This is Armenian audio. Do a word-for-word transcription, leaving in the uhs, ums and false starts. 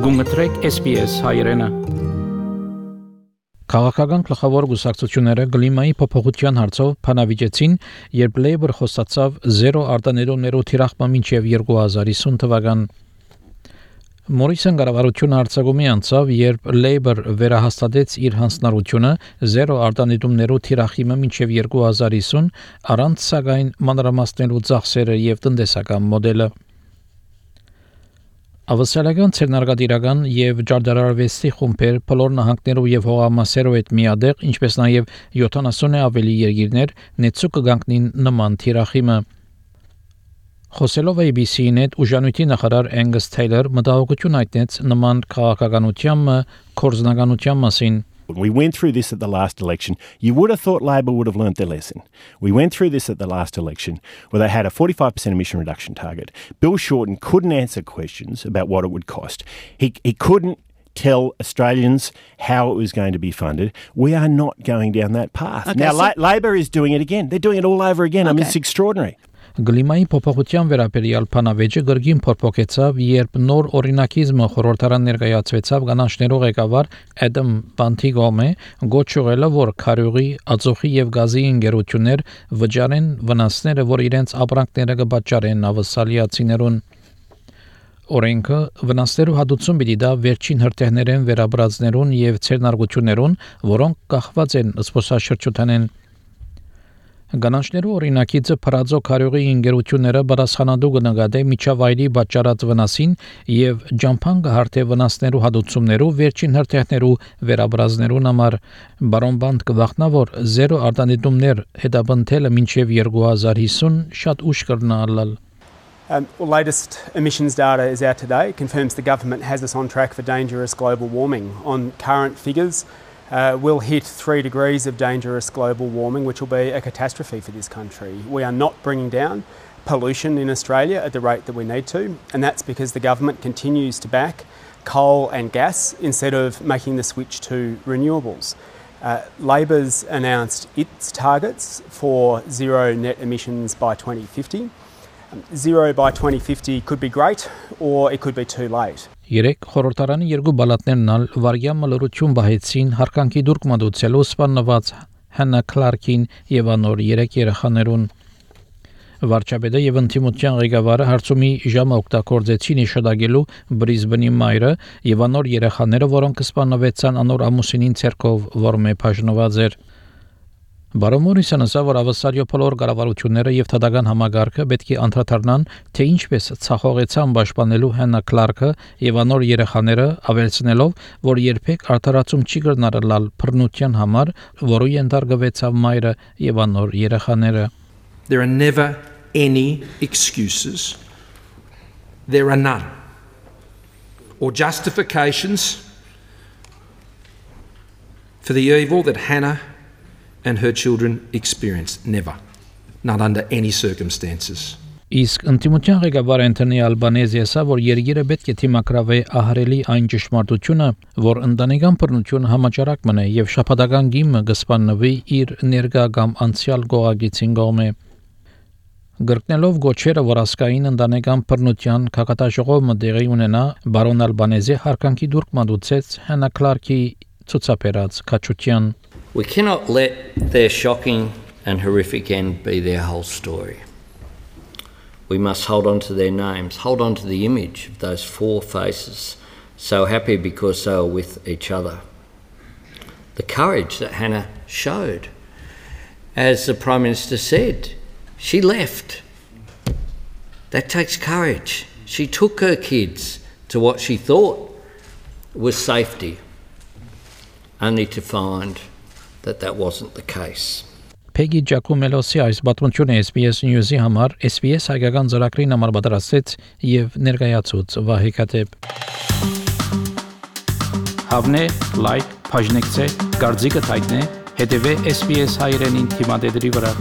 Գումտրեք S B S հայրենը։ Քաղաքական գլխավոր գուսակցությունները գլիմայի փոփոխության հարցով փանավիճեցին, երբ Labour խոստացավ զերո արտանետումներով թիրախման մինչև երկու հազար հիսուն թվական։ Մորիսոն կառավարությունը արձակումի անցավ, երբ Labour վերահաստատեց իր հանձնառությունը զերո արտանետումներով թիրախումը մինչև երկու հազար հիսուն, առանց սակայն մանրամասնելու ծախսերը եւ տնտեսական մոդելը։ Ավստրալիական ցերնարգադիրական եւ ջարդարարվեստի խումբեր բոլոր նահանգներով եւ հողամասերով հետ միադեղ, ինչպես նաեւ յոթանասունի ավելի երկիրներ նեցու կգանքնին նման թիրախիմը։ Խոսելով A B C-ին հետ ուժանույթի նախարար Angus Taylor մտահոգություն հայտնեց նման քաղաքականության կորզնականության մասին։ We went through this at the last election. You would have thought Labor would have learnt their lesson. We went through this at the last election where they had a forty-five percent emission reduction target. Bill Shorten couldn't answer questions about what it would cost. He, he couldn't tell Australians how it was going to be funded. We are not going down that path. Okay, now, so La- Labor is doing it again. They're doing it all over again. Okay. I mean, it's extraordinary. Գլիմայի փոփոխության վերաբերյալ փանավեճը գրգին փոփոխեցավ, երբ նոր օրինակիզմը խորհրդարան ներկայացվեցավ կանանչներով ղեկավար Adam Bantigome, գոչուղելը, որ քարյուղի, ածուխի եւ գազի ընկերություններ վճարեն վնասները, որ իրենց ապրանքները կպատճառեն ավսալիացիներուն։ Օրենքը վնասներու հատուցում պիտի դա վերջին հրթիռներեն վերաբրածներուն եւ ցերնարգություններուն, որոնք կախված են սփոսաշրջութանեն։ Գանանչներու օրինակիցը փրածո քարյուղի ընկերությունները բարձրանալու կնկատե միջավայրի պատճառած վնասին եւ ջամփան կհարթե վնասներու հատուցումներու վերջին հրթիռներու վերաբրազներուն համար բարոն բանդ կվախնա որ զերո արտանետումներ հետապնդելը մինչեւ երկու հազար հիսուն շատ ուշ կրնալալ։ Um, well, latest emissions data is out today. It confirms the government has us on track for dangerous global warming. On current figures, Uh, we'll hit three degrees of dangerous global warming, which will be a catastrophe for this country. We are not bringing down pollution in Australia at the rate that we need to, and that's because the government continues to back coal and gas instead of making the switch to renewables. Uh, Labor's announced its targets for zero net emissions by twenty fifty. Zero by twenty fifty could be great, or it could be too late. Երեք խորհրդարանի երկու բալատներն ալ վարյամ մլորություն բահեցին հարկանքի դուրք մատուցելու սպանված Հաննա Քլարկին եւ անոր երեք երեխաներուն։ Վարչապետը եւ ընդդիմության ղեկավարը հարցումի ժամը օգտագործեցին իշադագելու Բրիզբենի մայրը եւ անոր երեխաները, որոնք սպանվեցան անոր ամուսինին ցերկով, որմե բաժնված էր։ Բարոն Մորիսոնը ասավ, որ ավստրալիա բոլոր կառավարությունները եւ թադական համագարկը պետք է անդրադառնան, թե ինչպես ցախողեցան պաշտպանելու Հաննա Քլարկը եւ անոր երեխաները, ավելցնելով, որ երբեք արդարացում չի կրնարել բռնության համար, որը ենթարկվեցավ մայրը եւ անոր երեխաները։ There are never any excuses. There are none. Or justifications for the evil that Hannah and her children experienced. Never. Not under any circumstances. Իսկ ընդդիմության ղեկավար Անթոնի Ալբանեզը ասա, որ երկիրը պետք է թիմակրավի ահրելի այն ճշմարտությունը, որ ընտանեկան բռնությունը համաճարակ մնա եւ շփատական գիմը կսպանվի իր ներկա կամ անցյալ գողագիցին կողմը։ Գրկնելով գոչերը, որ ասկային ընտանեկան բռնության քաղաքաշողումը տեղի ունենա, բարոն Ալբանեզը հարկանքի դուրք մատուցեց Հաննա Քլարկի ցուցաբերած քաչության։ We cannot let their shocking and horrific end be their whole story. We must hold on to their names, hold on to the image of those four faces, so happy because they were with each other. The courage that Hannah showed. As the Prime Minister said, she left. That takes courage. She took her kids to what she thought was safety, only to find that that wasn't the case. Peggy Giacomelosի այս պատմությունը S B S News-ի համար S B S հայկական ծրագրին համար պատրաստեց եւ ներկայացուց Վահե Կատեփ։ Հավնե, լայք, բաժնեկցե, դարձիկը թայտնե, հետեւե S B S հայրենին թիմադեդի վրա։